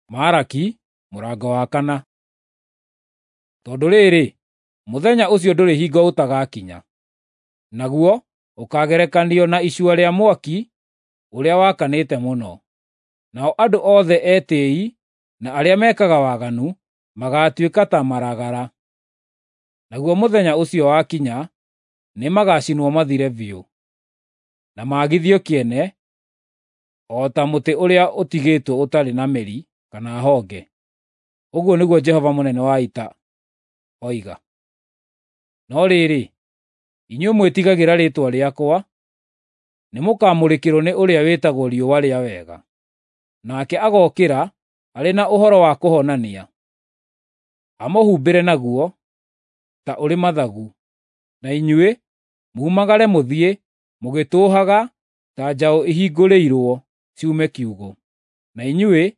Maraki mũrango wa kana. Tondũ rĩrĩ, mũthenya ũcio ndũrĩ hingo ũtagakinya, naguo ũkaagerekanio na icua rĩa mwaki ũrĩa wakanĩte mũno. Nao andũ othe etĩĩi na arĩa mekaga waganu magaatuĩka ta maragara. Naguo mũthenya ũcio wakinya nĩmagacinwo mathire biũ, na maagithio kĩene o ta mũtĩ ũrĩa ũtigĩtwo ũtarĩ na mĩri kana honge. Ũguo nĩguo Jehova mũnene wa ita oiga. No rĩrĩ, inyuĩ mwĩtigagĩra rĩĩtwa rĩakwa, nĩmũkamũrĩkĩrwo nĩ ũrĩa wĩtagwo Riũa rĩa Wega. Nake agookĩra arĩ na ũhoro wa kũhonania, amũhumbĩre naguo ta ũrĩ mathagu, na inyuĩ mumagare mũthiĩ mũgĩtũũhaga ta njaũ ihingũrĩirwo ciume kiugũ. Na inyuĩ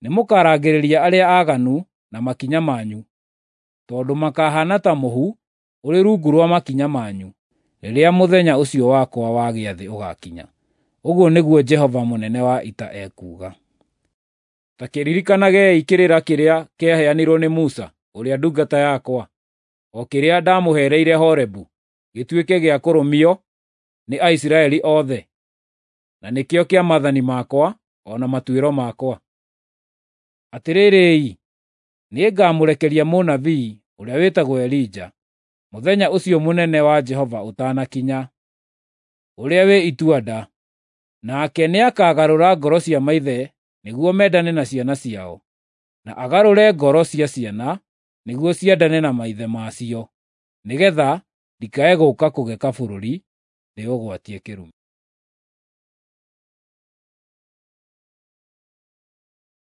nĩmũkarangĩrĩria arĩa aaganu na makinya manyu, tondũ makahaana ta mũhu ũrĩ rungu rwa makinya manyu rĩrĩa mũthenya ũcio wakwa wa gĩathĩ ũgaakinya. Ũguo nĩguo Jehova mũnene wa ita ekuuga. Ta kĩririkanagei kĩrĩra kĩrĩa kĩaheanirwo nĩ Musa ũrĩa ndungata yakwa, o kĩrĩa ndamũheereire Horebu gĩtuĩke gĩa kũrũmio nĩ Aisiraeli othe, na nĩkĩo kĩa maathani makwa o na matuĩro makwa. Atĩrĩrĩ-i, nĩngamũrekeria mũnabii ũrĩa wĩtagwo Elija, mũthenya ũcio mũnene wa Jehova ũtanakinya, ũrĩa wĩ itua-nda. Nake nĩakagarũra ngoro cia maithe nĩguo mendane na ciana ciao, na agarũre ngoro cia ciana nĩguo ciendane na maithe ma cio, nĩgeetha ndikae gũũka kũgeka bũrũri ndĩũgwatie kĩrumi.